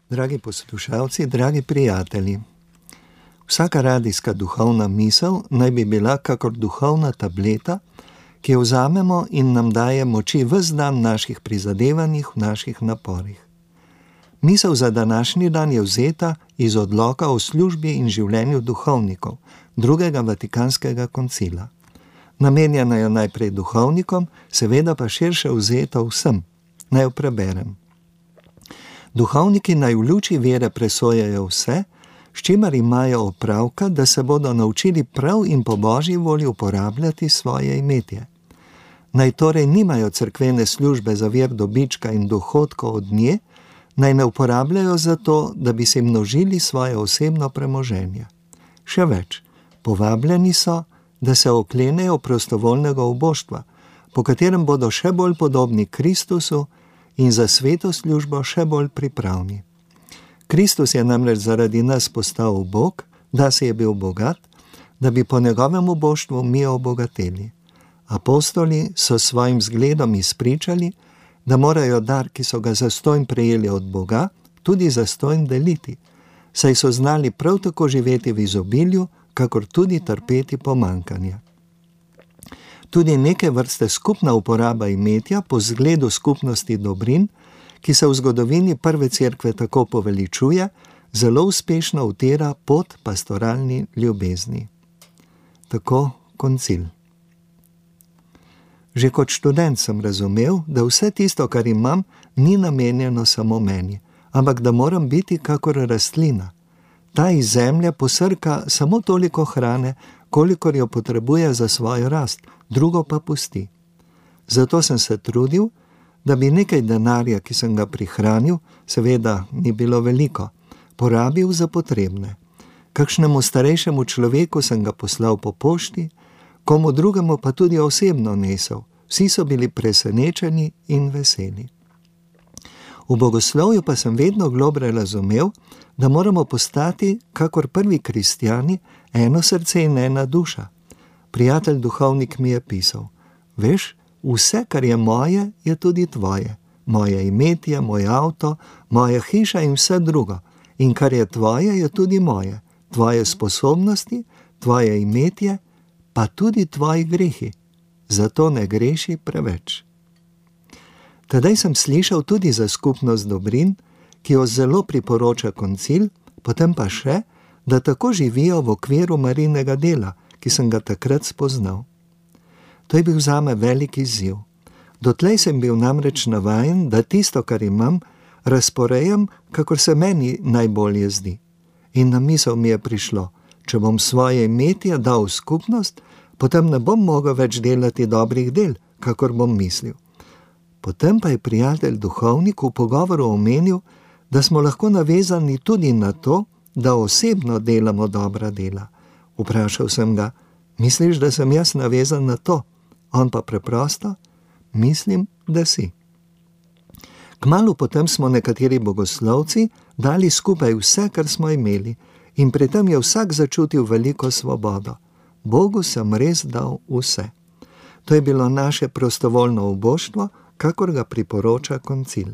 Dragi poslušalci, dragi prijatelji, vsaka radijska duhovna misel naj bi bila kakor duhovna tableta, ki jo vzamemo in nam daje moči ves dan naših prizadevanjih, v naših naporih. Misel za današnji dan je vzeta iz odloka o službi in življenju duhovnikov, drugega Vatikanskega koncila. Namenjena je najprej duhovnikom, seveda pa širše vzeta vsem. Naj jo preberem. Duhovniki naj v luči vere presojajo vse, s čimer imajo opravka, da se bodo naučili prav in po Božji volji uporabljati svoje imetje. Naj torej nimajo cerkvene službe za vir dobička in dohodkov od nje, naj ne uporabljajo za to, da bi si množili svoje osebno premoženje. Še več, povabljeni so, da se oklenejo prostovoljnega uboštva, po katerem bodo še bolj podobni Kristusu in za sveto službo še bolj pripravni. Kristus je namreč zaradi nas postal Bog, da se je bil bogat, da bi po njegovem uboštvu mi obogateli. Apostoli so svojim zgledom izpričali, da morajo dar, ki so ga zastonj prejeli od Boga, tudi zastonj deliti, saj so znali prav tako živeti v izobilju, kakor tudi trpeti pomanjkanje. Tudi neke vrste skupna uporaba imetja po zgledu skupnosti dobrin, ki se v zgodovini prve cerkve tako poveličuje, zelo uspešno utira pot pastoralni ljubezni. Tako koncil. Že kot študent sem razumel, da vse tisto, kar imam, ni namenjeno samo meni, ampak da moram biti kakor rastlina. Ta iz zemlje posrka samo toliko hrane, kolikor jo potrebuje za svojo rast, drugo pa pusti. Zato sem se trudil, da bi nekaj denarja, ki sem ga prihranil, seveda ni bilo veliko, porabil za potrebne. Kakšnemu starejšemu človeku sem ga poslal po pošti, komu drugemu pa tudi osebno nesel. Vsi so bili presenečeni in veseli. V bogoslovju pa sem vedno globlje razumel, da moramo postati, kakor prvi kristjani, eno srce in ena duša. Prijatelj duhovnik mi je pisal: veš, vse, kar je moje, je tudi tvoje. Moje imetje, moj avto, moja hiša in vse drugo. In kar je tvoje, je tudi moje. Tvoje sposobnosti, tvoje imetje, pa tudi tvoji grehi. Zato ne greši preveč. Tedaj sem slišal tudi za skupnost dobrin, ki jo zelo priporoča koncil, potem pa še, da tako živijo v okviru Marijinega dela, ki sem ga takrat spoznal. To je bil zame velik izziv. Dotlej sem bil namreč navajen, da tisto, kar imam, razporejam, kakor se meni najbolje zdi. In na misel mi je prišlo: če bom svoje imetje dal v skupnost, potem ne bom mogel več delati dobrih del, kakor bom mislil. Potem pa je prijatelj duhovnik v pogovoru omenil, da smo lahko navezani tudi na to, da osebno delamo dobra dela. Vprašal sem ga: misliš, da sem jaz navezan na to? On pa preprosto: mislim, da si. Kmalu potem smo nekateri bogoslovci dali skupaj vse, kar smo imeli, in pri tem je vsak začutil veliko svobodo. Bogu sem res dal vse. To je bilo naše prostovoljno uboštvo, kakor ga priporoča koncil.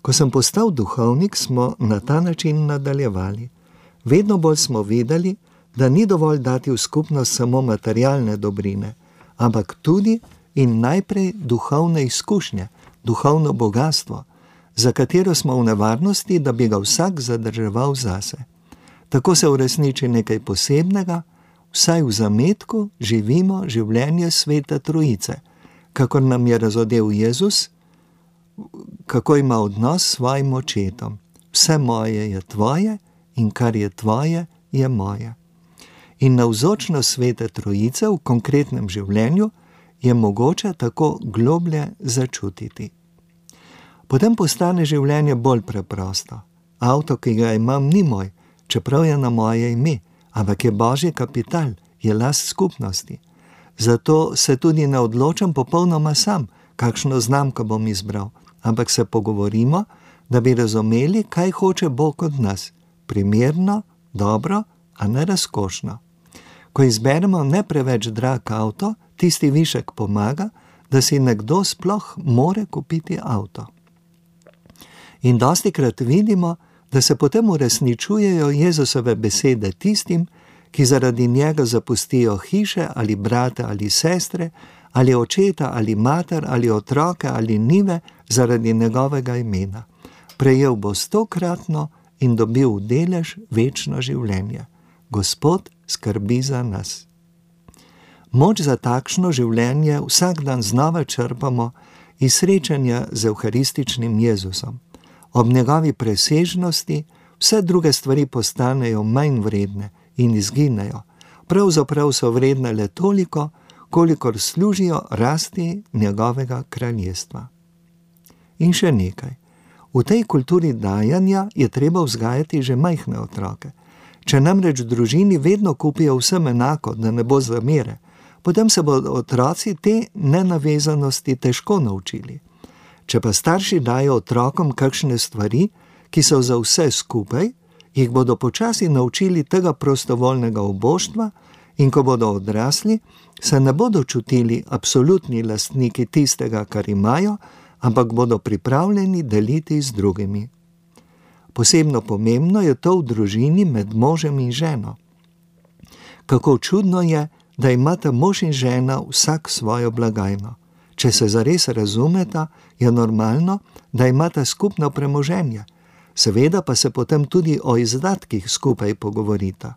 Ko sem postal duhovnik, smo na ta način nadaljevali. Vedno bolj smo videli, da ni dovolj dati v skupnost samo materialne dobrine, ampak tudi in najprej duhovne izkušnje, duhovno bogatstvo, za katero smo v nevarnosti, da bi ga vsak zadrževal zase. Tako se uresniči nekaj posebnega, vsaj v zametku živimo življenje Svete Trojice, kakor nam je razodel Jezus, kako ima odnos s svojim očetom. Vse moje je tvoje in kar je tvoje, je moje. In navzočnost Svete Trojice v konkretnem življenju je mogoče tako globlje začutiti. Potem postane življenje bolj preprosto. Avto, ki ga imam, ni moj, čeprav je na moje ime, ampak je Božji kapital, je last skupnosti. Zato se tudi ne odločam popolnoma sam, kakšno znamko bom izbral, ampak se pogovorimo, da bi razumeli, kaj hoče Bog od nas. Primerno, dobro, a ne razkošno. Ko izberemo ne preveč drag avto, tisti višek pomaga, da si nekdo sploh more kupiti avto. In dostikrat vidimo, da se potem uresničujejo Jezusove besede tistim, ki zaradi njega zapustijo hiše ali brate ali sestre, ali očeta ali mater ali otroke ali njive zaradi njegovega imena. Prejel bo 100-kratno in dobil v delež večno življenje. Gospod skrbi za nas. Moč za takšno življenje vsak dan znova črpamo iz srečanja z evharističnim Jezusom. Ob njegovi presežnosti vse druge stvari postanejo manj vredne in izginejo. Pravzaprav so vredne le toliko, kolikor služijo rasti njegovega kraljestva. In še nekaj. V tej kulturi dajanja je treba vzgajati že majhne otroke. Če namreč v družini vedno kupijo vsem enako, da ne bo zamere, potem se bodo otroci te nenavezanosti težko naučili. Če pa starši dajo otrokom kakšne stvari, ki so za vse skupaj, jih bodo počasi naučili tega prostovoljnega uboštva in ko bodo odrasli, se ne bodo čutili absolutni lastniki tistega, kar imajo, ampak bodo pripravljeni deliti z drugimi. Posebno pomembno je to v družini med možem in ženo. Kako čudno je, da imata mož in žena vsak svojo blagajno. Če se zares razumeta, je normalno, da imata skupno premoženje. Seveda pa se potem tudi o izdatkih skupaj pogovorita.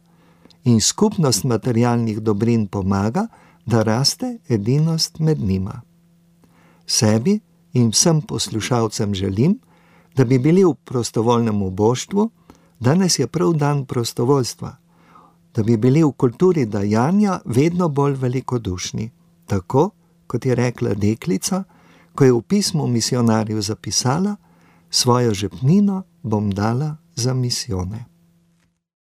In skupnost materialnih dobrin pomaga, da raste edinost med njima. Sebi in vsem poslušalcem želim, da bi bili v prostovoljnem uboštvu, danes je prav dan prostovoljstva, da bi bili v kulturi dajanja vedno bolj velikodušni, tako kot je rekla deklica, ko je v pismu misionarju zapisala: svojo žepnino bom dala za misijone.